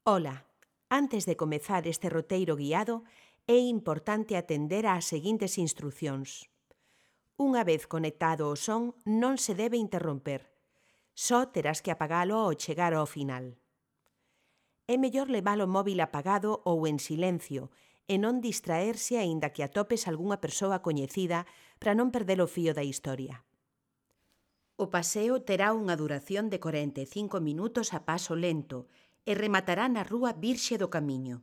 Ola, antes de comezar este roteiro guiado, é importante atender ás seguintes instruccións. Unha vez conectado o son, non se debe interromper. Só terás que apagalo ao chegar ao final. É mellor levar o móvil apagado ou en silencio e non distraerse aínda que atopes algunha persoa coñecida para non perder o fío da historia. O paseo terá unha duración de 45 minutos a paso lento e rematará na Rúa Virxe do Camiño.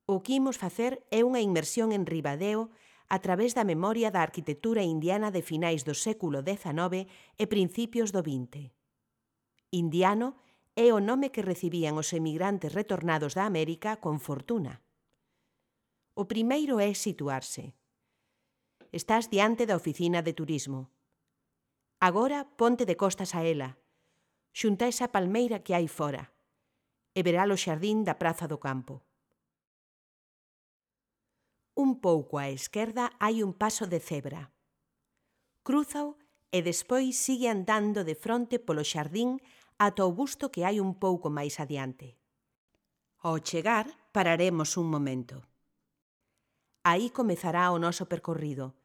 O que imos facer é unha inmersión en Ribadeo a través da memoria da arquitectura indiana de finais do século XIX e principios do XX. Indiano é o nome que recibían os emigrantes retornados da América con fortuna. O primeiro é situarse. Estás diante da oficina de turismo. Agora ponte de costas a ela, xunta esa palmeira que hai fora, e verá o xardín da Praza do Campo. Un pouco á esquerda hai un paso de cebra. Crúzao e despois sigue andando de fronte polo xardín ata o busto que hai un pouco máis adiante. Ao chegar, pararemos un momento. Aí comezará o noso percorrido,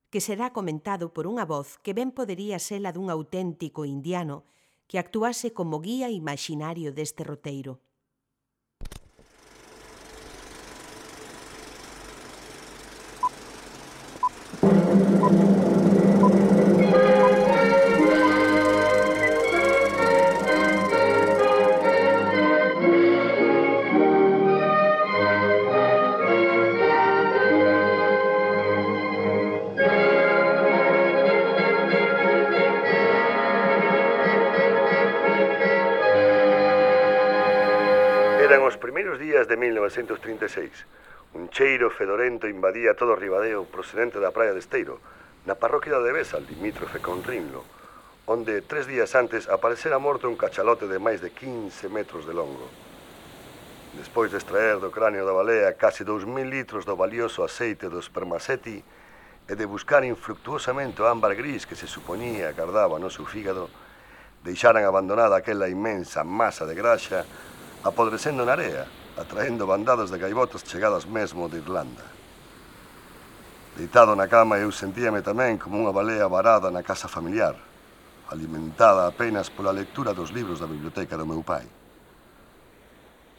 que será comentado por unha voz que ben podería ser a dun auténtico indiano que actuase como guía imaxinario deste roteiro. Eran os primeiros días de 1936. Un cheiro fedorento invadía todo Ribadeo procedente da praia de Esteiro, na parroquia de Besa, limítrofe con Rinlo, onde 3 días antes aparecera morto un cachalote de máis de 15 metros de longo. Despois de extraer do cráneo da balea case 2000 litros do valioso aceite do spermaceti e de buscar infructuosamente o ámbar gris que se supoñía gardaba no seu fígado, deixaran abandonada aquela inmensa masa de graxa apodrecendo na area, atraendo bandadas de gaivotas chegadas mesmo de Irlanda. Deitado na cama eu sentíame tamén como unha balea varada na casa familiar, alimentada apenas pola lectura dos libros da biblioteca do meu pai.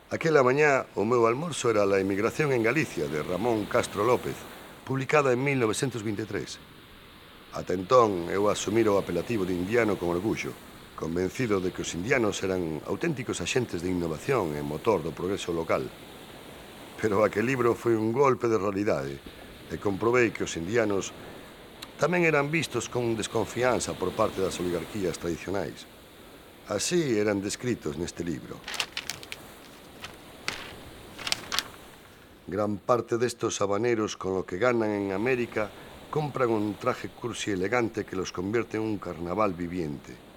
Aquela mañá o meu almorzo era La emigración en Galicia, de Ramón Castro López, publicada en 1923. Ata entón eu asumira o apelativo de indiano con orgullo, convencido de que os indianos eran auténticos axentes de innovación e motor do progreso local. Pero aquel libro foi un golpe de realidade e comprobei que os indianos tamén eran vistos con desconfianza por parte das oligarquías tradicionais. Así eran descritos neste libro. Gran parte destos habaneros con lo que ganan en América compran un traje cursi elegante que los convierte en un carnaval viviente.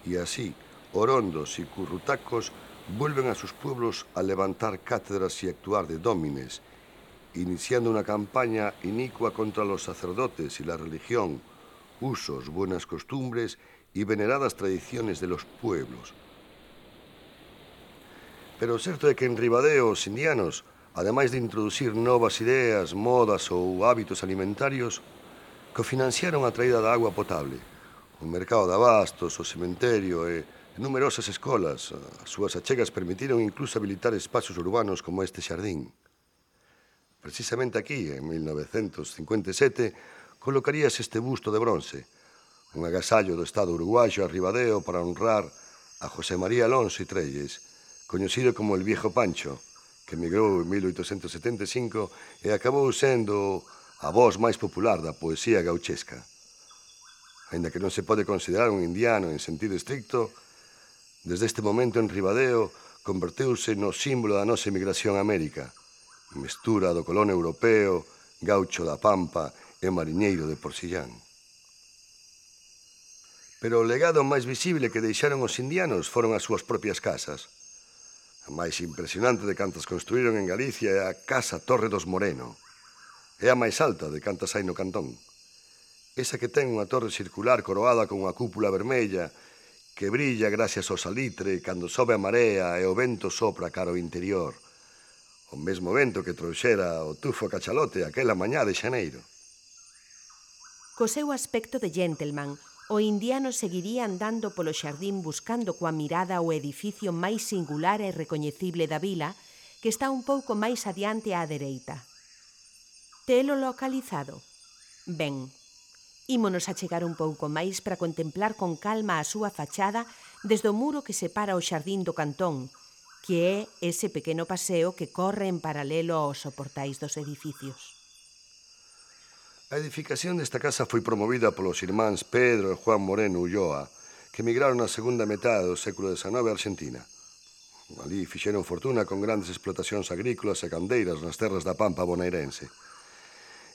Y así, orondos y currutacos vuelven a sus pueblos a levantar cátedras y actuar de dómines, iniciando una campaña inicua contra los sacerdotes y la religión, usos, buenas costumbres y veneradas tradiciones de los pueblos. Pero o certo é que en Ribadeo os indianos, ademais de introducir novas ideas, modas ou hábitos alimentarios, cofinanciaron a traída da agua potable, o mercado de abastos, o cementerio e numerosas escolas. As súas achegas permitiron incluso habilitar espazos urbanos como este xardín. Precisamente aquí, en 1957, colocaríase este busto de bronce, un agasallo do Estado uruguayo a Ribadeo para honrar a José María Alonso y Trelles, coñecido como el Viejo Pancho, que emigrou en 1875 e acabou sendo a voz máis popular da poesía gauchesca. Ainda que non se pode considerar un indiano en sentido estricto, desde este momento en Ribadeo converteuse no símbolo da nosa emigración a América, mestura do colón europeo, gaucho da Pampa e mariñeiro de Porcillán. Pero o legado máis visible que deixaron os indianos foron as súas propias casas. A máis impresionante de cantas construíron en Galicia é a Casa Torre dos Moreno. É a máis alta de cantas hai no cantón. Esa que ten unha torre circular coroada con unha cúpula vermella que brilla gracias ao salitre cando sobe a marea e o vento sopra cara ao interior. O mesmo vento que trouxera o tufo cachalote aquela mañá de xaneiro. Co seu aspecto de gentleman, o indiano seguiría andando polo xardín buscando coa mirada o edificio máis singular e recoñecible da vila, que está un pouco máis adiante á dereita. Telo localizado? Ben, ímonos achegar un pouco máis para contemplar con calma a súa fachada desde o muro que separa o xardín do cantón, que é ese pequeno paseo que corre en paralelo aos soportais dos edificios. A edificación desta casa foi promovida polos irmáns Pedro e Juan Moreno Ulloa, que emigraron na segunda metade do século XIX a Argentina. Alí fixeron fortuna con grandes explotacións agrícolas e candeiras nas terras da Pampa bonairense.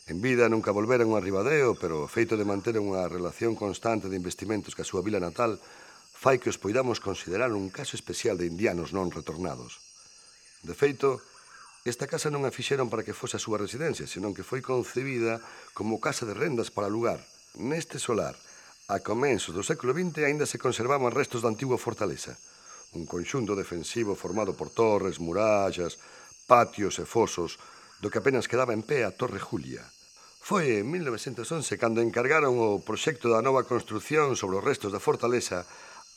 En vida nunca volveron a Ribadeo, pero o feito de manter unha relación constante de investimentos ca súa vila natal fai que os poidamos considerar un caso especial de indianos non retornados. De feito, esta casa non a fixeron para que fose a súa residencia, senón que foi concebida como casa de rendas para lugar. Neste solar, a comenzos do século XX, aínda se conservaban restos da antigua fortaleza, un conxunto defensivo formado por torres, murallas, patios e fosos, do que apenas quedaba en pé a Torre Julia. Foi en 1911 cando encargaron o proxecto da nova construción sobre os restos da fortaleza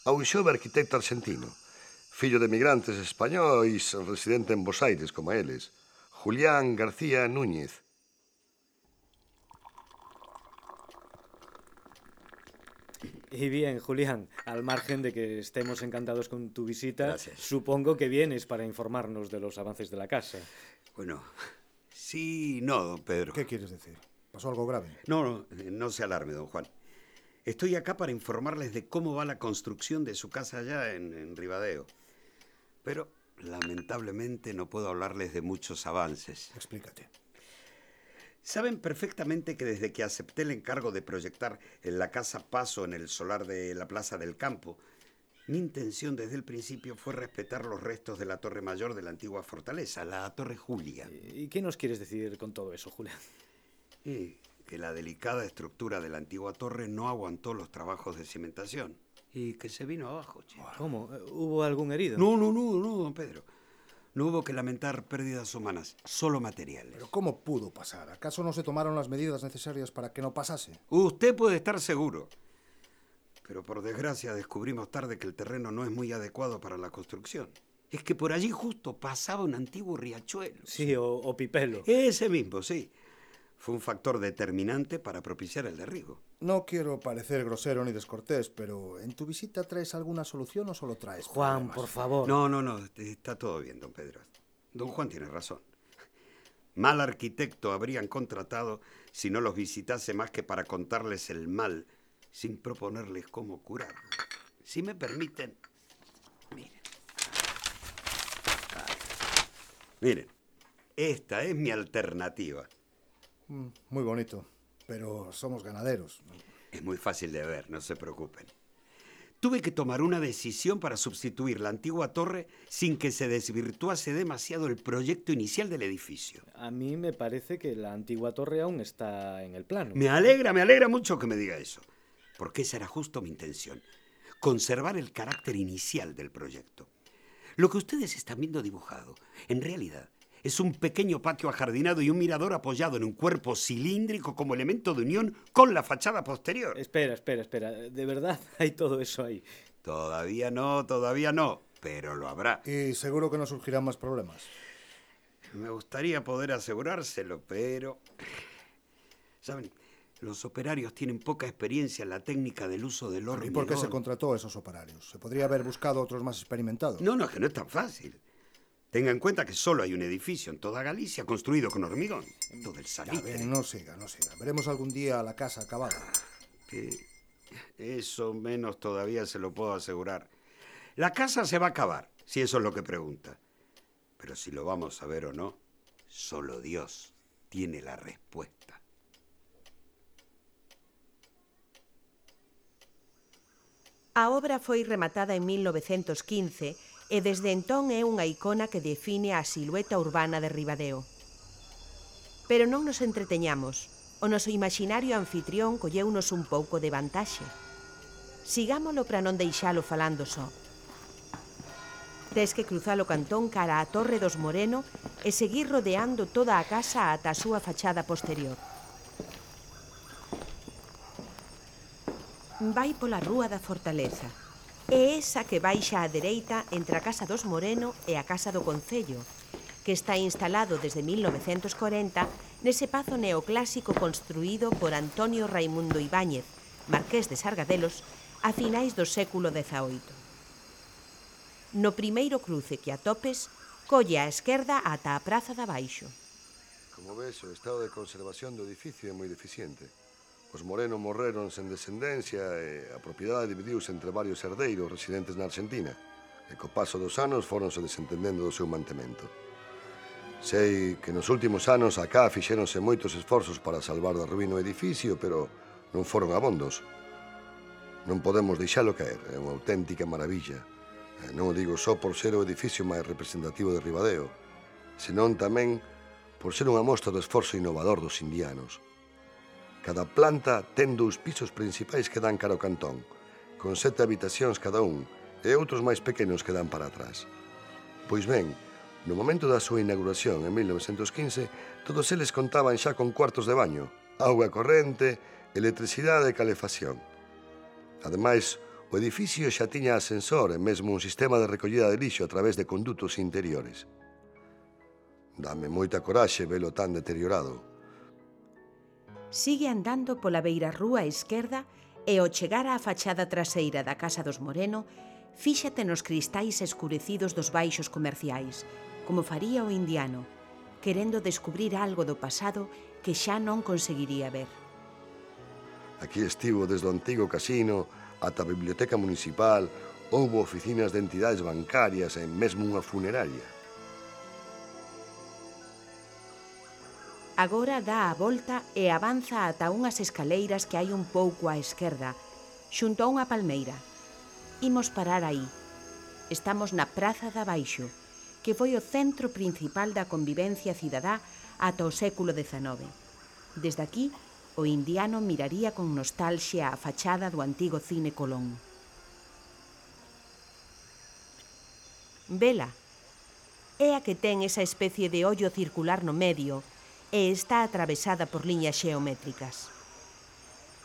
a un xove arquitecto argentino, fillo de emigrantes españois residente en Bos Aires, como eles, Julián García Núñez. Y bien, Julián, al margen de que estemos encantados con tu visita, Gracias. supongo que vienes para informarnos de los avances de la casa. Bueno, sí, no, don Pedro. ¿Qué quieres decir? ¿Pasó algo grave? No se alarme, don Juan. Estoy acá para informarles de cómo va la construcción de su casa allá en Ribadeo. Pero, lamentablemente, no puedo hablarles de muchos avances. Explícate. Saben perfectamente que desde que acepté el encargo de proyectar en la casa Paso en el solar de la Plaza del Campo, mi intención desde el principio fue respetar los restos de la torre mayor de la antigua fortaleza, la Torre Julia. ¿Y qué nos quieres decir con todo eso, Julián? Que la delicada estructura de la antigua torre no aguantó los trabajos de cimentación y que se vino abajo, che. ¿Cómo? ¿Hubo algún herido? No, don Pedro. No hubo que lamentar pérdidas humanas, solo materiales. ¿Pero cómo pudo pasar? ¿Acaso no se tomaron las medidas necesarias para que no pasase? Usted puede estar seguro. Pero por desgracia descubrimos tarde que el terreno no es muy adecuado para la construcción. Es que por allí justo pasaba un antiguo riachuelo. Sí, o Pipelo. Ese mismo, sí. Fue un factor determinante para propiciar el derribo. No quiero parecer grosero ni descortés, pero ¿en tu visita traes alguna solución o solo traes Juan, problemas? por favor. No, está todo bien, don Pedro. Don Juan tiene razón. Mal arquitecto habrían contratado si no los visitase más que para contarles el mal, sin proponerles cómo curarlo. Si me permiten, miren. Miren, esta es mi alternativa. Muy bonito, pero somos ganaderos. Es muy fácil de ver, no se preocupen. Tuve que tomar una decisión para sustituir la antigua torre sin que se desvirtuase demasiado el proyecto inicial del edificio. A mí me parece que la antigua torre aún está en el plano. Me alegra mucho que me diga eso, porque esa era justo mi intención, conservar el carácter inicial del proyecto. Lo que ustedes están viendo dibujado, en realidad, es un pequeño patio ajardinado y un mirador apoyado en un cuerpo cilíndrico como elemento de unión con la fachada posterior. Espera. ¿De verdad hay todo eso ahí? Todavía no, pero lo habrá. Y seguro que no surgirán más problemas. Me gustaría poder asegurárselo, pero... ¿Saben? Los operarios tienen poca experiencia en la técnica del uso del hormigón. ¿Y por qué se contrató a esos operarios? ¿Se podría haber buscado otros más experimentados? No, es que no es tan fácil. Tenga en cuenta que solo hay un edificio en toda Galicia construido con hormigón. Todo el salitre. No siga. Veremos algún día la casa acabada. Que eso menos todavía se lo puedo asegurar. La casa se va a acabar, si eso es lo que pregunta. Pero si lo vamos a ver o no, solo Dios tiene la respuesta. A obra foi rematada en 1915 e desde entón é unha icona que define a silueta urbana de Ribadeo. Pero non nos entreteñamos. O noso imaginario anfitrión colleunos un pouco de vantaxe. Sigámolo para non deixalo falando só. Tes que cruzar o cantón cara á Torre dos Moreno e seguir rodeando toda a casa ata a súa fachada posterior. Vai pola Rúa da Fortaleza. É esa que baixa á dereita entre a Casa dos Moreno e a Casa do Concello, que está instalado desde 1940 nese pazo neoclásico construído por Antonio Raimundo Ibáñez, marqués de Sargadelos, a finais do século XVIII. No primeiro cruce que atopes, colle á esquerda ata a Praza de Abaixo. Como ves, o estado de conservación do edificio é moi deficiente. Os Moreno morreron sen descendencia e a propiedade dividiuse entre varios herdeiros residentes na Argentina, e co paso dos anos foronse desentendendo do seu mantemento. Sei que nos últimos anos acá fixéronse moitos esforzos para salvar da ruína o edificio, pero non foron abondos. Non podemos deixalo caer, é unha auténtica maravilla. Non o digo só por ser o edificio máis representativo de Ribadeo, senón tamén por ser unha mostra do esforzo innovador dos indianos. Cada planta ten 2 pisos principais que dan cara ao cantón, con 7 habitacións cada un, e outros máis pequenos que dan para atrás. Pois ben, no momento da súa inauguración, en 1915, todos eles contaban xa con cuartos de baño, auga corrente, electricidade e calefacción. Ademais, o edificio xa tiña ascensor e mesmo un sistema de recollida de lixo a través de condutos interiores. Dame moita coraxe velo tan deteriorado. Sigue andando pola beirarrúa esquerda e ao chegar á fachada traseira da Casa dos Moreno, fíxate nos cristais escurecidos dos baixos comerciais, como faría o indiano, querendo descubrir algo do pasado que xa non conseguiría ver. Aquí estivo desde o antigo casino ata a biblioteca municipal, houbo oficinas de entidades bancarias e mesmo unha funeraria. Agora dá a volta e avanza ata unhas escaleiras que hai un pouco á esquerda, xunto a unha palmeira. Imos parar aí. Estamos na Praza de Abaixo, que foi o centro principal da convivencia cidadá ata o século XIX. Desde aquí, o indiano miraría con nostalxia a fachada do antigo Cine Colón. Vela, é a que ten esa especie de ollo circular no medio e está atravesada por liñas xeométricas.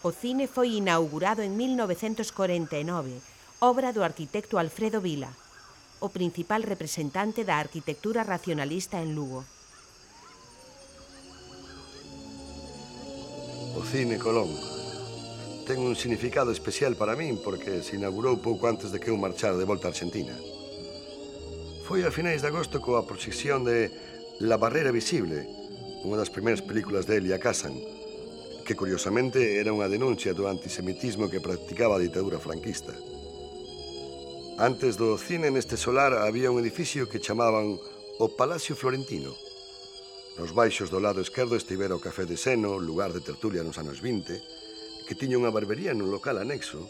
O cine foi inaugurado en 1949, obra do arquitecto Alfredo Vila, o principal representante da arquitectura racionalista en Lugo. O Cine Colón ten un significado especial para min porque se inaugurou pouco antes de que eu marchara de volta a Argentina. Foi a finais de agosto coa proxección de La Barrera Visible, unha das primeiras películas de Elia Kazan, que curiosamente era unha denuncia do antisemitismo que practicaba a ditadura franquista. Antes do cine neste solar había un edificio que chamaban o Palacio Florentino. Nos baixos do lado esquerdo estivera o Café de Seno, lugar de tertulia nos anos 20, que tiña unha barbería nun local anexo.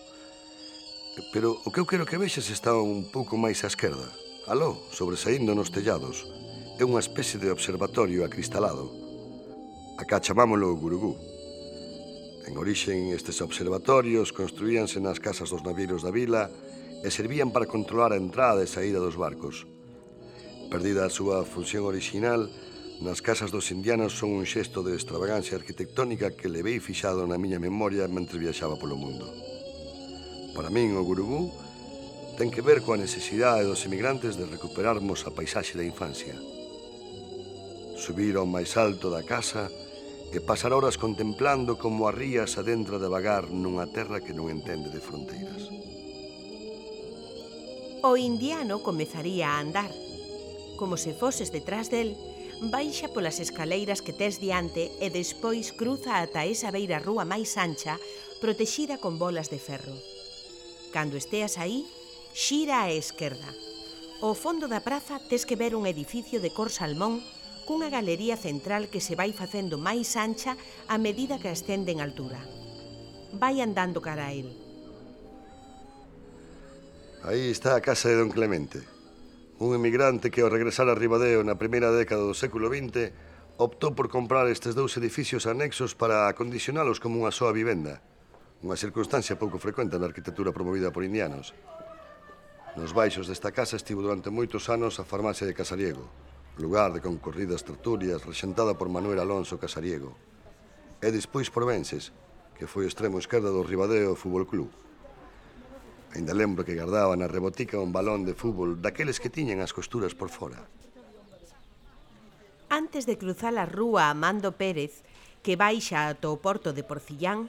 Pero o que eu quero que vexas está un pouco máis á esquerda. Aló, sobresaindo nos tellados. É unha especie de observatorio acristalado. Acá chamámolo Gurugú. En orixen, estes observatorios construíanse nas casas dos navieiros da vila e servían para controlar a entrada e saída dos barcos. Perdida a súa función orixinal, nas casas dos indianos son un xesto de extravagancia arquitectónica que levei fixado na miña memoria mentre viaxaba polo mundo. Para min, o Gurugú ten que ver coa necesidade dos emigrantes de recuperarmos a paisaxe da infancia. Subir ao máis alto da casa e pasar horas contemplando como a ría se adentra devagar nunha terra que non entende de fronteiras. O indiano comezaría a andar. Como se foses detrás del, baixa polas escaleiras que tes diante e despois cruza ata esa beira rúa máis ancha, protexida con bolas de ferro. Cando esteas aí, xira á esquerda. Ao fondo da praza tes que ver un edificio de cor salmón cunha galería central que se vai facendo máis ancha a medida que ascende en altura. Vai andando cara a el. Aí está a casa de Don Clemente. Un emigrante que ao regresar a Ribadeo na primeira década do século XX optou por comprar estes 2 edificios anexos para acondicionalos como unha soa vivenda. unha circunstancia pouco frecuente na arquitectura promovida por indianos. Nos baixos desta casa estivo durante moitos anos a farmacia de Casariego, lugar de concorridas tertulias rexentada por Manuel Alonso Casariego. E despois por Vences, que foi o extremo esquerdo do Ribadeo Fútbol Club. Ainda lembro que guardaba na rebotica un balón de fútbol daqueles que tiñan as costuras por fora. Antes de cruzar a rúa Amando Pérez, que baixa ata o porto de Porcillán,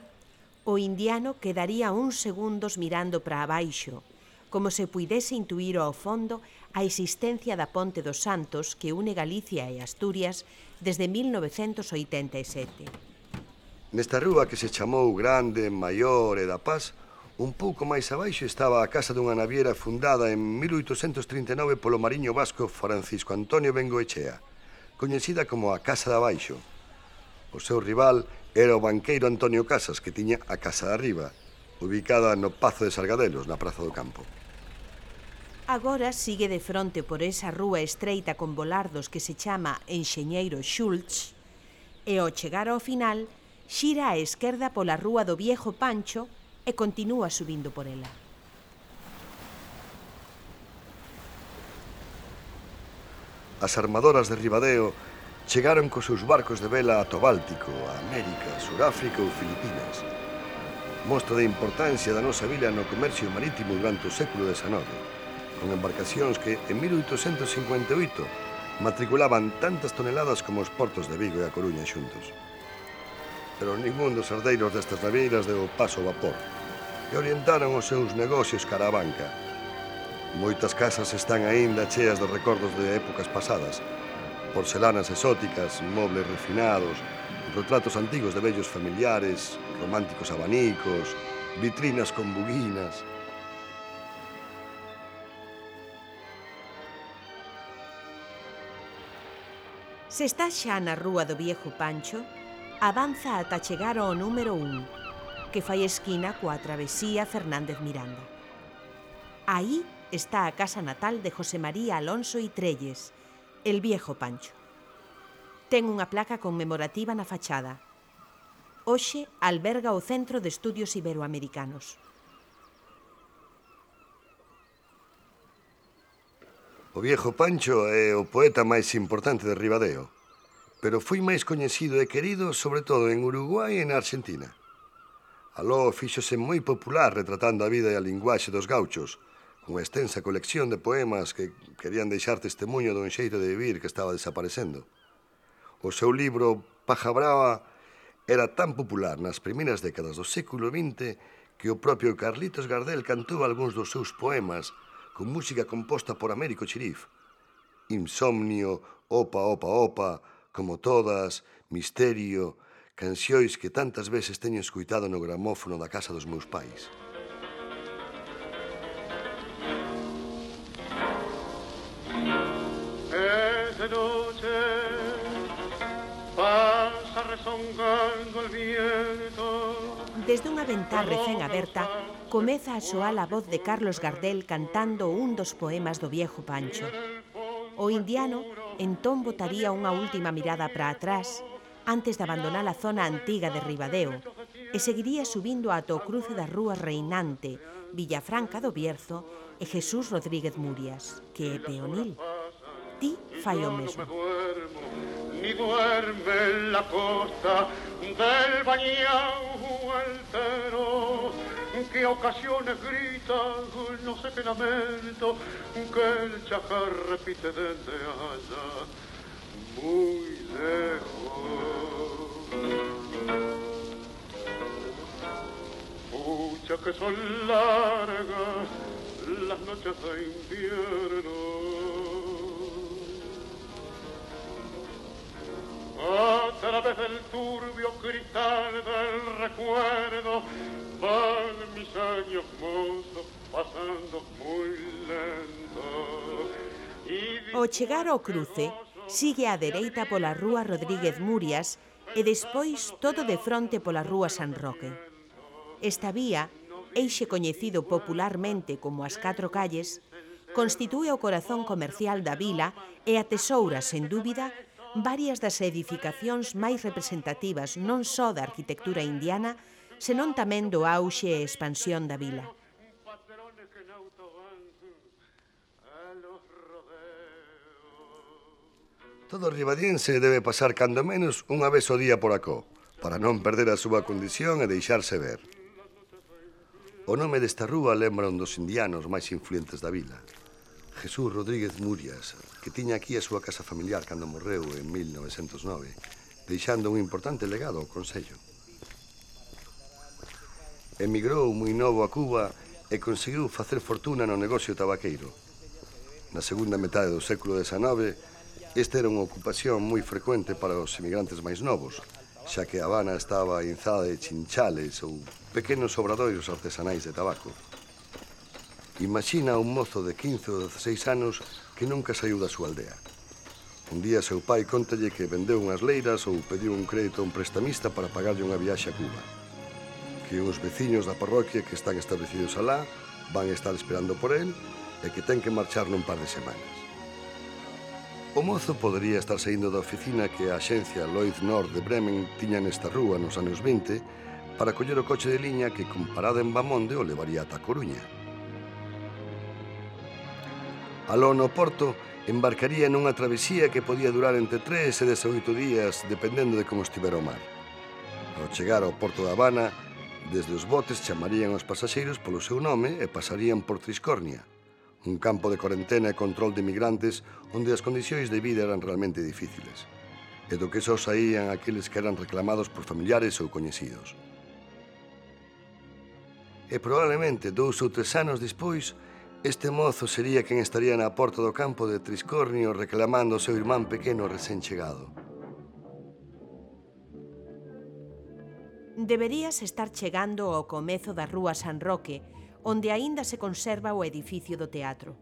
o indiano quedaría uns segundos mirando para abaixo, como se puidese intuir ao fondo a existencia da Ponte dos Santos que une Galicia e Asturias desde 1987. Nesta rúa que se chamou Grande, Maior e da Paz, un pouco máis abaixo estaba a casa dunha naviera fundada en 1839 polo mariño vasco Francisco Antonio Bengoechea, coñecida como a Casa de Abaixo. O seu rival era o banqueiro Antonio Casas, que tiña a Casa de Arriba, ubicada no Pazo de Sargadelos, na Praza do Campo. Agora sigue de fronte por esa rúa estreita con volardos que se chama Enxeñeiro Schultz e ao chegar ao final xira á esquerda pola rúa do Viejo Pancho e continúa subindo por ela. As armadoras de Ribadeo chegaron cos seus barcos de vela ata o Báltico, a América, Suráfrica ou Filipinas. Mostra de importancia da nosa vila no comercio marítimo durante o século XIX, con embarcacións que en 1858 matriculaban tantas toneladas como os portos de Vigo e a Coruña xuntos. Pero ningún dos herdeiros destas naveiras deu paso ao vapor e orientaron os seus negocios cara a banca. Moitas casas están aínda cheas de recordos de épocas pasadas, porcelanas exóticas, mobles refinados, retratos antigos de vellos familiares, románticos abanicos, vitrinas con buguinas. Se está xa na rúa do Viejo Pancho, avanza ata chegar ao número 1, que fai esquina coa travesía Fernández Miranda. Aí está a casa natal de José María Alonso y Trelles, el Viejo Pancho. Ten unha placa conmemorativa na fachada. Hoxe alberga o Centro de Estudios Iberoamericanos. O Viejo Pancho é o poeta máis importante de Ribadeo, pero foi máis coñecido e querido sobre todo en Uruguai e na Argentina. Aló fíxose moi popular retratando a vida e a linguaxe dos gauchos, unha extensa colección de poemas que querían deixar testemunho dun xeito de vivir que estaba desaparecendo. O seu libro Paja Brava era tan popular nas primeiras décadas do século XX que o propio Carlitos Gardel cantou algúns dos seus poemas con música composta por Américo Chirif. Insomnio, Opa, Opa, Opa, Como Todas, Misterio, cancións que tantas veces teño escuitado no gramófono da casa dos meus pais. De noche pasa rezongando el viento. Desde unha ventá recén aberta, comeza a soar a voz de Carlos Gardel cantando un dos poemas do Viejo Pancho. O indiano entón botaría unha última mirada para atrás antes de abandonar a zona antiga de Ribadeo e seguiría subindo ata o cruce da rúa Reinante, Villafranca do Bierzo e Jesús Rodríguez Murias, que é peonil. Ti fai o mesmo. Ni duerme en la costa del bañao altero, que a ocasiones grita, no sé qué lamento, que el chajar repite desde allá, muy lejos. Pucha que son largas las noches de invierno, a través del turbio cristal del recuerdo van mis años mozos pasando muy lento. Ao chegar ao cruce, sigue á dereita pola rúa Rodríguez Murias e despois todo de fronte pola rúa San Roque. Esta vía, eixe coñecido popularmente como as Catro Calles, constitúe o corazón comercial da vila e atesoura, sen dúbida, varias das edificacións máis representativas non só da arquitectura indiana, senón tamén do auxe e expansión da vila. Patrones que en auto van a los rodeos. Todo ribadiense debe pasar cando menos unha vez ao día por acó, para non perder a súa condición e deixarse ver. O nome desta rúa lembra un dos indianos máis influentes da vila, Jesús Rodríguez Murias, que tiña aquí a súa casa familiar cando morreu en 1909, deixando un importante legado ao Concello. Emigrou moi novo a Cuba e conseguiu facer fortuna no negocio tabaqueiro. Na segunda metade do século XIX, esta era unha ocupación moi frecuente para os emigrantes máis novos, xa que a Habana estaba inzada de chinchales ou pequenos obradoiros artesanais de tabaco. Imagina un mozo de 15 ou 16 anos que nunca saiu da súa aldea. Un día seu pai contalle que vendeu unhas leiras ou pediu un crédito a un prestamista para pagarlle unha viaxe a Cuba. Que uns veciños da parroquia que están establecidos alá van estar esperando por él e que ten que marchar nun par de semanas. O mozo podería estar saindo da oficina que a axencia Lloyd North de Bremen tiña nesta rúa nos anos 20 para coller o coche de liña que, con parada en Bamonde, o levaría ata a Coruña. Aló no porto, embarcaría nunha travesía que podía durar entre 3 e 18 días, dependendo de como estivera o mar. Ao chegar ao porto da Habana, desde os botes chamarían aos pasaxeiros polo seu nome e pasarían por Triscornia, un campo de corentena e control de inmigrantes onde as condicións de vida eran realmente difíciles, e do que só saían aqueles que eran reclamados por familiares ou coñecidos. E probablemente 2 ou 3 anos despois, este mozo sería quen estaría na porta do campo de Triscornio reclamando o seu irmán pequeno recén chegado. Deberías estar chegando ao comezo da rúa San Roque, onde aínda se conserva o edificio do teatro.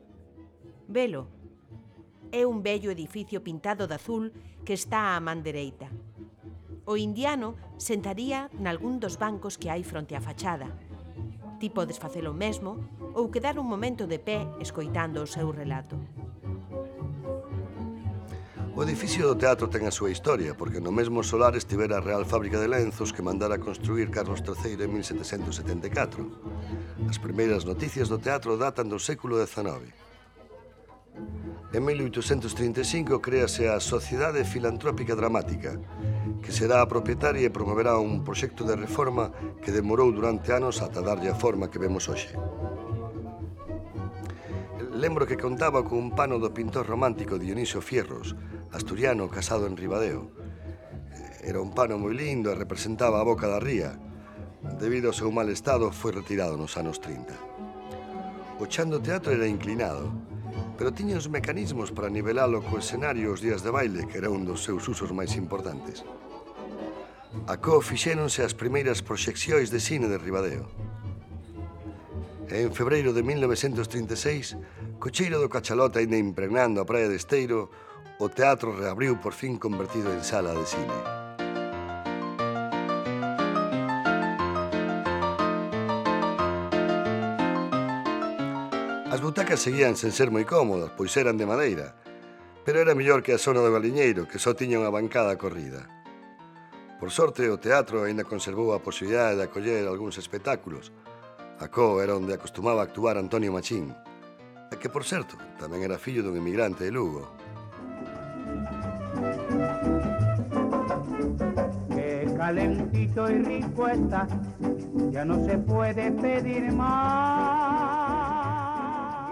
Velo. É un bello edificio pintado de azul que está á man dereita. O indiano sentaría nalgún dos bancos que hai fronte á fachada. Ti podes facelo mesmo ou quedar un momento de pé escoitando o seu relato. O edificio do teatro ten a súa historia, porque no mesmo solar estivera a Real Fábrica de Lenzos que mandara construir Carlos III en 1774. As primeiras noticias do teatro datan do século XIX. En 1835 créase a Sociedade Filantrópica Dramática, que será a propietaria e promoverá un proxecto de reforma que demorou durante anos ata darlle a forma que vemos hoxe. Lembro que contaba con un pano do pintor romántico Dionisio Fierros, asturiano casado en Ribadeo. Era un pano moi lindo e representaba a boca da ría. Debido ao seu mal estado, foi retirado nos anos 30. O chan do teatro era inclinado, pero tiña os mecanismos para nivelalo co escenario os días de baile, que era un dos seus usos máis importantes. Acó fixéronse as primeiras proxeccións de cine de Ribadeo. En febreiro de 1936, co cheiro do cachalote aínda impregnando a praia de Esteiro, o teatro reabriu por fin convertido en sala de cine. As butacas seguían sen ser moi cómodas, pois eran de madeira, pero era mellor que a zona do Galiñeiro, que só tiña unha bancada corrida. Por sorte, o teatro aínda conservou a posibilidade de acoller algúns espectáculos. Acó era onde acostumaba actuar Antonio Machín, e que, por certo, tamén era fillo dun emigrante de Lugo. Qué calentito y rico está, ya no se puede pedir más.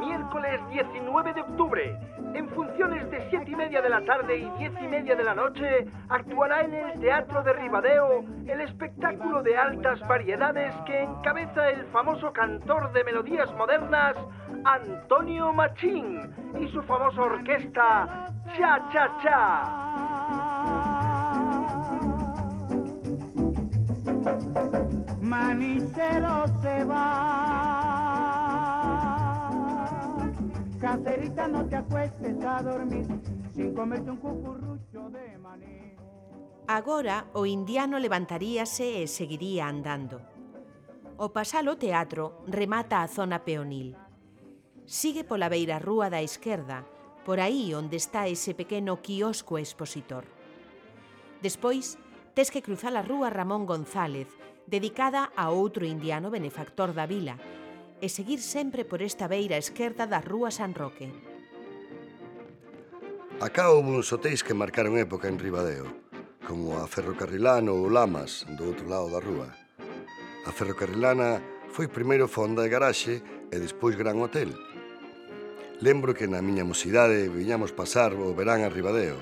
Miércoles 19 de octubre, en funciones de 7:30 de la tarde y 10:30 de la noche, actuará en el Teatro de Ribadeo el espectáculo de altas variedades que encabeza el famoso cantor de melodías modernas, Antonio Machín, y su famosa orquesta, Cha Cha Cha. Manicero se va, caserita no te acuestes a dormir sin comerte un cucurrucho de maní. Agora o indiano levantaríase e seguiría andando. O pasar o teatro remata a zona peonil. Sigue pola beira rúa da esquerda, por aí onde está ese pequeno quiosco expositor. Despois, tes que cruzar a rúa Ramón González, dedicada a outro indiano benefactor da vila, e seguir sempre por esta beira esquerda da rúa San Roque. Acá houve uns hotéis que marcaron época en Ribadeo, como a Ferrocarrilana ou Lamas, do outro lado da rúa. A Ferrocarrilana foi primeiro fonda e garaxe e despois gran hotel. Lembro que na miña mocidade viñamos pasar o verán a Ribadeo.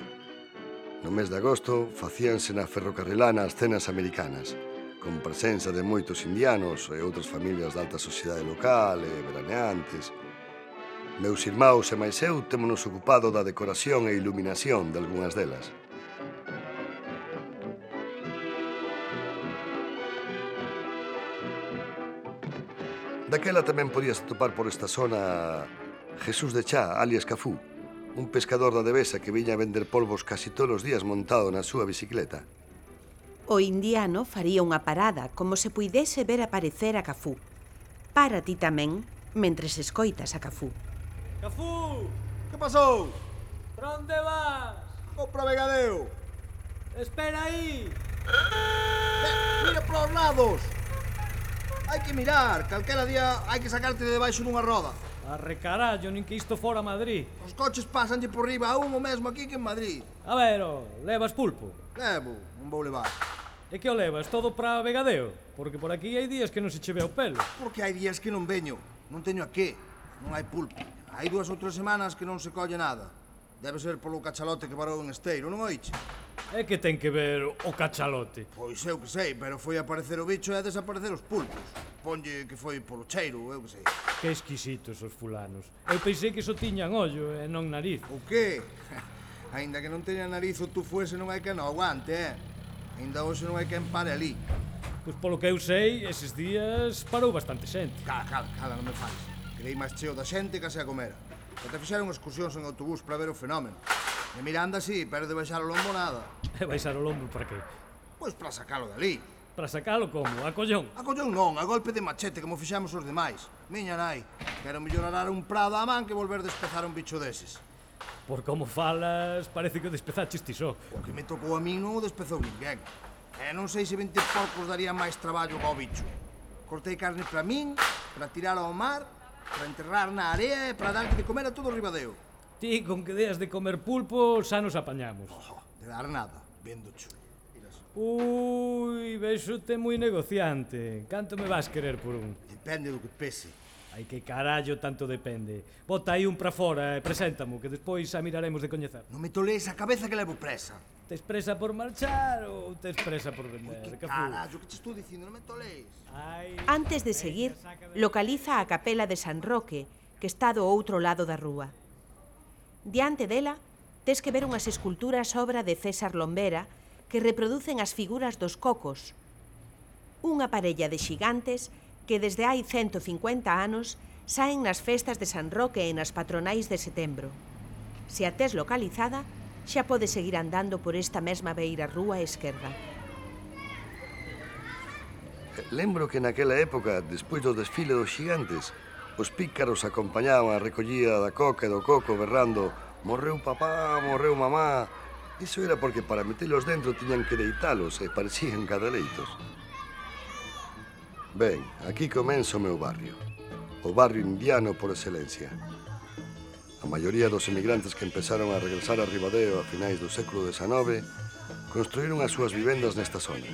No mes de agosto facíanse na Ferrocarrilana as cenas americanas, con presenza de moitos indianos e outras familias da alta sociedade local e veraneantes. Meus irmãos e máis eu témonos ocupado da decoración e iluminación de algunhas delas. Daquela tamén podías atopar por esta zona Jesús de Chá, alias Cafú, un pescador da Devesa que viña a vender polvos casi todos os días montado na súa bicicleta. O indiano faría unha parada como se puidese ver aparecer a Cafú. Para ti tamén, mentres escoitas a Cafú. Cafú! Que pasou? Pra onde vas? Vou para Vegadeo. Espera aí! Mira para os lados. Hai que mirar, calquera día hai que sacarte de debaixo dunha roda. Arre carallo, nin que isto fora Madrid. Os coches pásanlle por riba a un o mesmo aquí que en Madrid. A ver, levas pulpo? Levo, non vou levar. E que o levas todo pra Vegadeo? Porque por aquí hai días que non se che ve o pelo. Porque hai días que non veño, non teño a qué. Non hai pulpo. Hai 2 ou 3 semanas que non se colle nada. Debe ser polo cachalote que parou en Esteiro, non oiche? É que ten que ver o cachalote. Pois eu que sei, pero foi aparecer o bicho e desaparecer os pulpos. Ponlle que foi polo cheiro, eu que sei. Que exquisitos os fulanos. Eu pensei que só tiñan ollo e non nariz. O qué? Ainda que non teña nariz o tú fuese non hai que non aguante, Ainda hoxe non hai que empare ali. Pois polo que eu sei, eses días parou bastante xente. Cala, non me fales. Quedei máis cheo da xente que se a comera. Até fixeron excursións en autobús para ver o fenómeno. E Miranda sí, pero de baixar o lombo nada. E baixar o lombo para que? Pois para sacalo dali. Para sacalo como? A collón? A collón non, a golpe de machete como fixamos os demais. Miña nai, quero mellor arar un prado á man que volver despezar un bicho deses. Por como falas, parece que o despezaches ti só. O que me tocou a min non o despezou ninguén. E non sei se 20 porcos daría máis traballo ao bicho. Cortei carne para min, para tirar ao mar, para enterrar na area e para darlle de comer a todo o Ribadeo. Ti, con que deas de comer pulpo, xa nos apañamos. De dar nada, vendo chu. Ui, vexote moi negociante. Canto me vas querer por un? Depende do que pese. Ai, que carallo tanto depende. Bota aí un pra fora e preséntamo, que despois xa miraremos de coñecer. Non me tolees a cabeza que levo presa. Tes presa por marchar ou tes presa por vender? Que carallo, que te estou dicindo, non me tolees. Antes de seguir, localiza a capela de San Roque, que está do outro lado da rúa. Diante dela, tes que ver unhas esculturas obra de César Lombera que reproducen as figuras dos cocos, unha parella de xigantes que desde hai 150 anos saen nas festas de San Roque e nas patronais de setembro. Se a tes localizada, xa podes seguir andando por esta mesma beira rúa esquerda. Lembro que naquela época, despois do desfile dos xigantes, os pícaros acompañaban a recollida da coca e do coco berrando «Morreu papá, morreu mamá». Iso era porque para metelos dentro tiñan que deitalos e parecían cadeleitos. Ben, aquí comenza o meu barrio. O barrio indiano por excelencia. A maioría dos emigrantes que empezaron a regresar a Ribadeo a finais do século XIX construíron as súas vivendas nesta zona.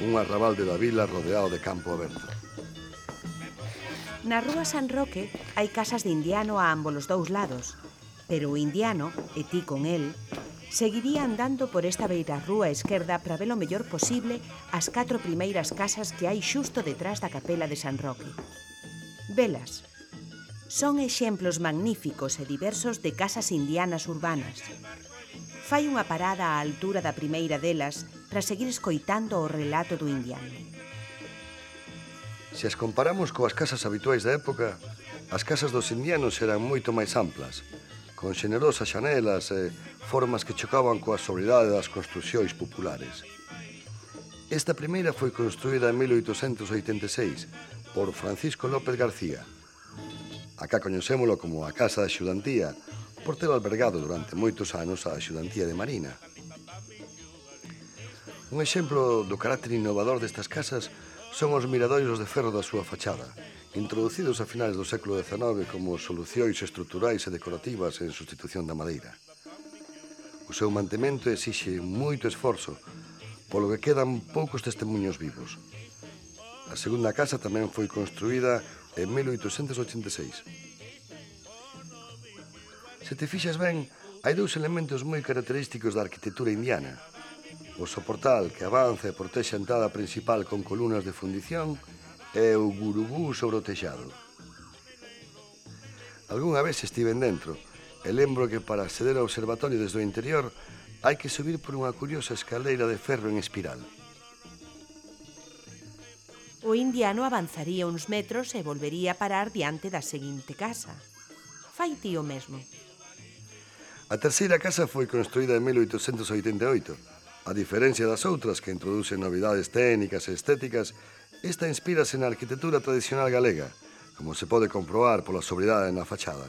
Un arrabal de da vila rodeado de campo aberto. Na rúa San Roque hai casas de indiano a ambos os dous lados, pero o indiano, e ti con el, seguiría andando por esta beira rúa esquerda para ver o mellor posible as 4 primeiras casas que hai xusto detrás da capela de San Roque. Velas. Son exemplos magníficos e diversos de casas indianas urbanas. Fai unha parada á altura da primeira delas para seguir escoitando o relato do indiano. Se as comparamos coas casas habituais da época, as casas dos indianos eran moito máis amplas, con xenerosas xanelas e formas que chocaban coa sobriedade das construcións populares. Esta primeira foi construída en 1886 por Francisco López García. Acá coñecémolo como a Casa da Axudantía, por ter albergado durante moitos anos a Axudantía de Marina. Un exemplo do carácter innovador destas casas son os miradoiros de ferro da súa fachada, introducidos a finales do século XIX como solucións estruturais e decorativas en sustitución da madeira. O seu mantemento exixe moito esforzo, polo que quedan poucos testemunhos vivos. A segunda casa tamén foi construída en 1886. Se te fixas ben, hai dous elementos moi característicos da arquitectura indiana. O soportal que avanza e protexe a entrada principal con columnas de fundición e o gurubú sobre o texado. Algúnha vez estiven dentro e lembro que para acceder ao observatorio desde o interior hai que subir por unha curiosa escaleira de ferro en espiral. O indiano avanzaría uns metros e volvería a parar diante da seguinte casa. Fai ti o mesmo. A terceira casa foi construída en 1888. A diferencia das outras que introducen novidades técnicas e estéticas, esta inspírase na arquitectura tradicional galega, como se pode comprobar pola sobriedade na fachada.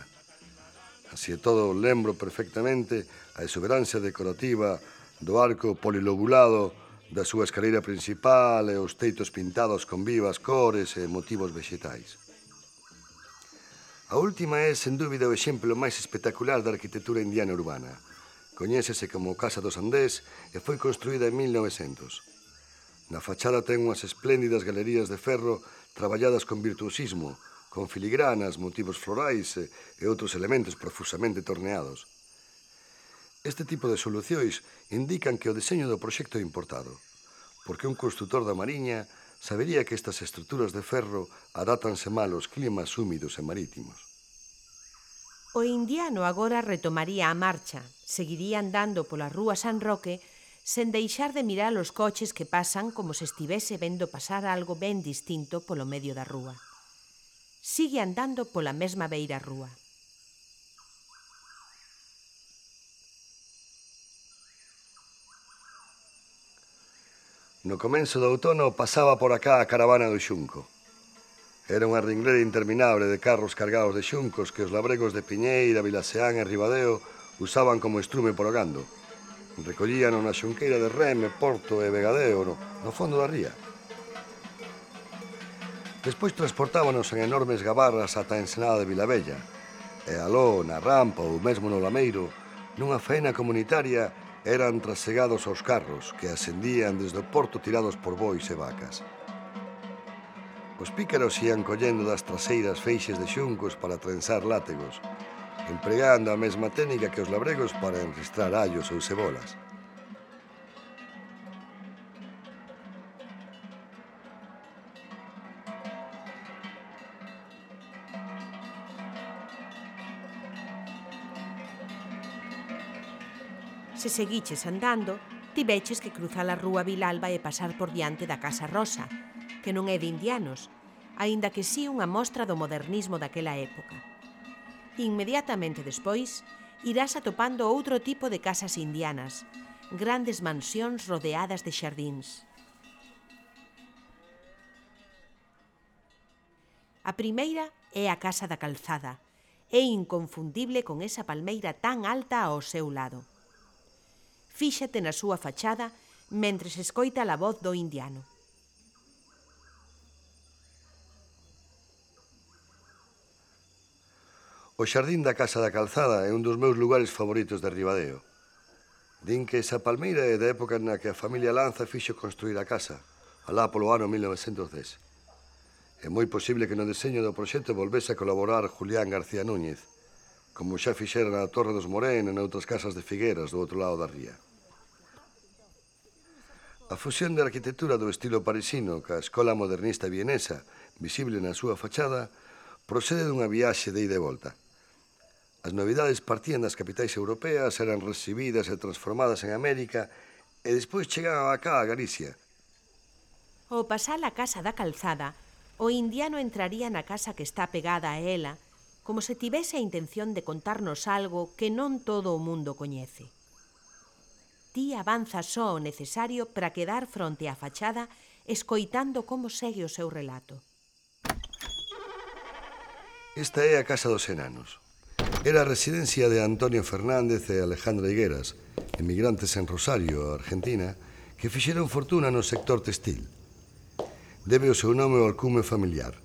Así e todo, lembro perfectamente a exuberancia decorativa do arco polilobulado da súa escaleira principal e os teitos pintados con vivas cores e motivos vexetais. A última é, sen dúbida, o exemplo máis espectacular da arquitectura indiana urbana. Coñécese como Casa dos Andés e foi construída en 1900. Na fachada ten unhas espléndidas galerías de ferro traballadas con virtuosismo, con filigranas, motivos florais e outros elementos profusamente torneados. Este tipo de solucións indican que o deseño do proxecto é importado, porque un construtor da Mariña sabería que estas estruturas de ferro adátanse mal aos climas húmidos e marítimos. O indiano agora retomaría a marcha, seguiría andando pola rúa San Roque sen deixar de mirar os coches que pasan como se estivese vendo pasar algo ben distinto polo medio da rúa. Sigue andando pola mesma beira rúa. No comenzo do outono pasaba por acá a caravana do xunco. Era unha ringlera interminable de carros cargados de xuncos que os labregos de Piñeira, Vilaseán e Ribadeo usaban como estrume por o gando. Recollíano na xunqueira de Reme, Porto e Vegadeo, no fondo da ría. Despois transportábanos en enormes gabarras ata a ensenada de Vilavella, e aló, na rampa ou mesmo no lameiro, nunha faena comunitaria, eran trasegados aos carros que ascendían desde o porto tirados por bois e vacas. Os pícaros ían collendo das traseiras feixes de xuncos para trenzar látegos, empregando a mesma técnica que os labregos para enristrar allos ou cebolas. Se seguiches andando, tiveches que cruzar a rúa Vilalba e pasar por diante da Casa Rosa, que non é de indianos, aínda que sí unha mostra do modernismo daquela época. Inmediatamente despois, irás atopando outro tipo de casas indianas, grandes mansións rodeadas de xardíns. A primeira é a Casa da Calzada, é inconfundible con esa palmeira tan alta ao seu lado. Fíxate na súa fachada mentres escoita a voz do indiano. O xardín da Casa da Calzada é un dos meus lugares favoritos de Ribadeo. Din que esa palmeira é da época na que a familia Lanza fixo construir a casa, alá polo ano 1910. É moi posible que no deseño do proxecto volvese a colaborar Julián García Núñez, como xa fixera na Torre dos Morén e noutras casas de Figueras do outro lado da ría. A fusión de arquitectura do estilo parisino ca escola modernista vienesa, visible na súa fachada, procede dunha viaxe de ida e volta. As novidades partían das capitais europeas, eran recibidas e transformadas en América e despois chegaban acá a Galicia. Ao pasar a Casa da Calzada, o indiano entraría na casa que está pegada a ela, como se tivese a intención de contarnos algo que non todo o mundo coñece. Ti avanza só o necesario para quedar fronte á fachada escoitando como segue o seu relato. Esta é a Casa dos Enanos. Era a residencia de Antonio Fernández e Alejandra Higueras, emigrantes en Rosario, Argentina, que fixeron fortuna no sector textil. Debe o seu nome ao alcume familiar.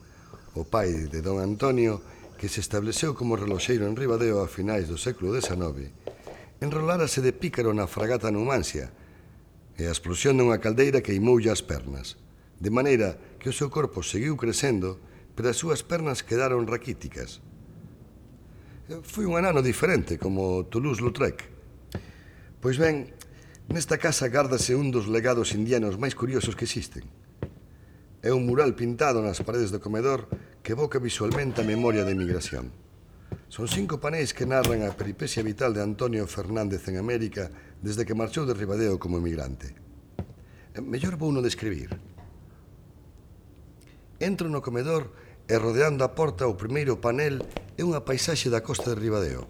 O pai de don Antonio, que se estableceu como reloxeiro en Ribadeo a finais do século XIX, enrolárase de pícaro na fragata Numancia e a explosión dunha caldeira queimoulle as pernas, de maneira que o seu corpo seguiu crecendo, pero as súas pernas quedaron raquíticas. Foi un anano diferente, como Toulouse-Lautrec. Pois ben, nesta casa gárdase un dos legados indianos máis curiosos que existen. É un mural pintado nas paredes do comedor que evoca visualmente a memoria da emigración. Son 5 paneis que narran a peripecia vital de Antonio Fernández en América desde que marchou de Ribadeo como emigrante. Mellor vou no describir. Entro no comedor e rodeando a porta o primeiro panel é unha paisaxe da costa de Ribadeo.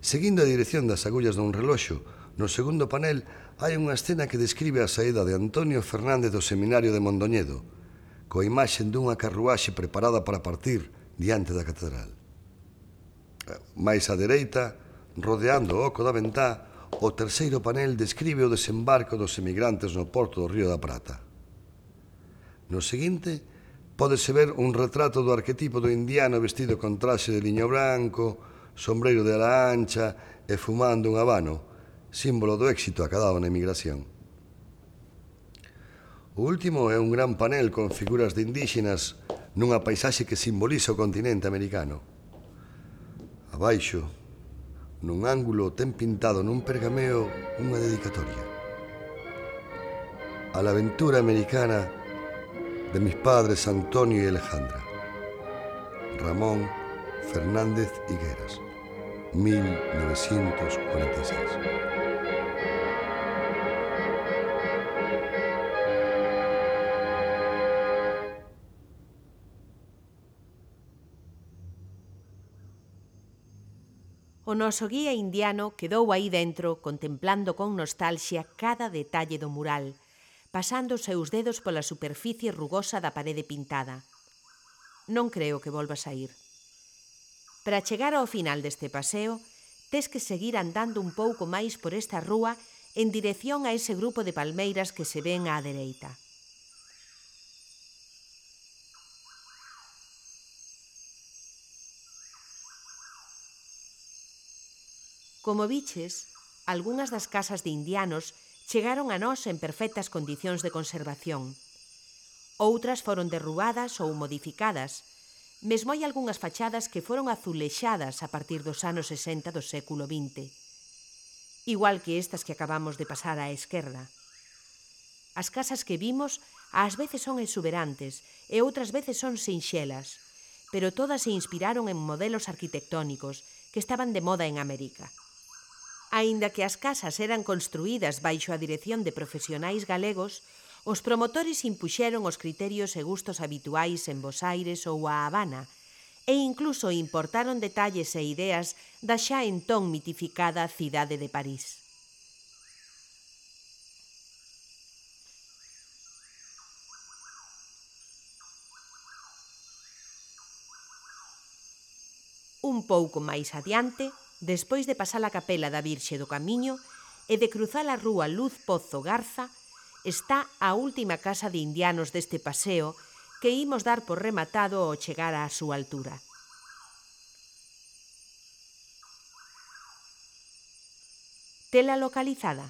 Seguindo a dirección das agullas dun reloxo, no segundo panel hai unha escena que describe a saída de Antonio Fernández do seminario de Mondoñedo, coa imaxe dunha carruaxe preparada para partir diante da catedral. Mais á dereita, rodeando o oco da ventá, o terceiro panel describe o desembarco dos emigrantes no porto do Río da Prata. No seguinte, pódese ver un retrato do arquetipo do indiano vestido con traxe de liño branco, sombreiro de ala ancha e fumando un habano, símbolo do éxito acadado na emigración. O último é un gran panel con figuras de indígenas nunha paisaxe que simboliza o continente americano. Abaixo, nun ángulo, ten pintado nun pergameo unha dedicatoria. A la aventura americana de mis padres Antonio y Alejandra. Ramón Fernández Higueras, 1946. O noso guía indiano quedou aí dentro contemplando con nostalxia cada detalle do mural, pasando os seus dedos pola superficie rugosa da parede pintada. Non creo que volvas a ir. Para chegar ao final deste paseo, tes que seguir andando un pouco máis por esta rúa en dirección a ese grupo de palmeiras que se ven á dereita. Como viches, algunhas das casas de indianos chegaron a nós en perfectas condicións de conservación. Outras foron derrubadas ou modificadas. Mesmo hai algunhas fachadas que foron azulexadas a partir dos anos 60 do século XX. Igual que estas que acabamos de pasar á esquerda. As casas que vimos ás veces son exuberantes e outras veces son sinxelas, pero todas se inspiraron en modelos arquitectónicos que estaban de moda en América. Aínda que as casas eran construídas baixo a dirección de profesionais galegos, os promotores impuxeron os criterios e gustos habituais en Bos Aires ou a Habana e incluso importaron detalles e ideas da xa entón mitificada cidade de París. Un pouco máis adiante, despois de pasar a capela da Virxe do Camiño e de cruzar a rúa Luz Pozo Garza, está a última casa de indianos deste paseo que imos dar por rematado ao chegar á súa altura. Tela localizada?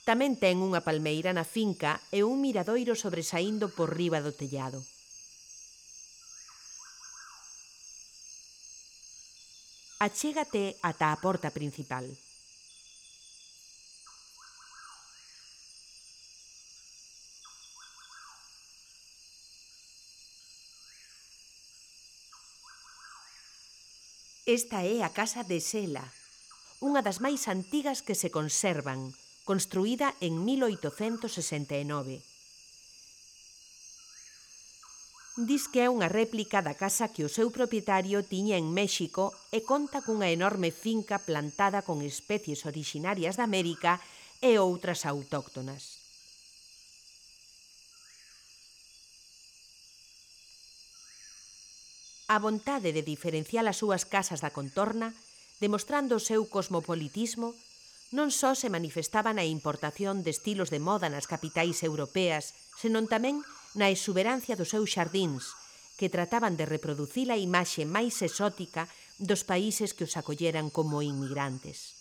Tamén ten unha palmeira na finca e un miradoiro sobresaindo por riba do tellado. Achégate ata a porta principal. Esta é a casa de Sela, unha das máis antigas que se conservan, construída en 1869. Dis que é unha réplica da casa que o seu propietario tiña en México e conta cunha enorme finca plantada con especies orixinarias de América e outras autóctonas. A vontade de diferenciar as súas casas da contorna, demostrando o seu cosmopolitismo, non só se manifestaba na importación de estilos de moda nas capitais europeas, senón tamén na exuberancia dos seus xardíns, que trataban de reproducir a imaxe máis exótica dos países que os acolleran como inmigrantes.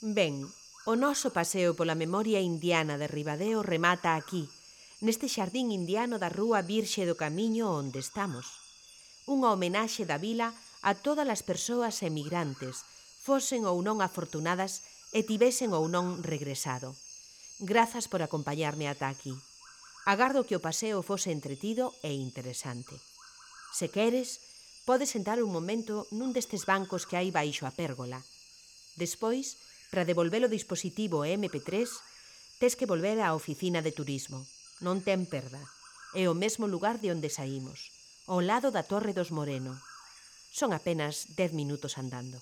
Ben, o noso paseo pola memoria indiana de Ribadeo remata aquí, neste xardín indiano da Rúa Virxe do Camiño onde estamos. Unha homenaxe da vila a todas as persoas emigrantes, fosen ou non afortunadas e tivesen ou non regresado. Grazas por acompañarme ata aquí. Agardo que o paseo fose entretido e interesante. Se queres, podes sentar un momento nun destes bancos que hai baixo a pérgola. Despois, para devolver o dispositivo MP3, tes que volver á oficina de turismo. Non ten perda. É o mesmo lugar de onde saímos, ao lado da Torre dos Moreno. Son apenas 10 minutos andando.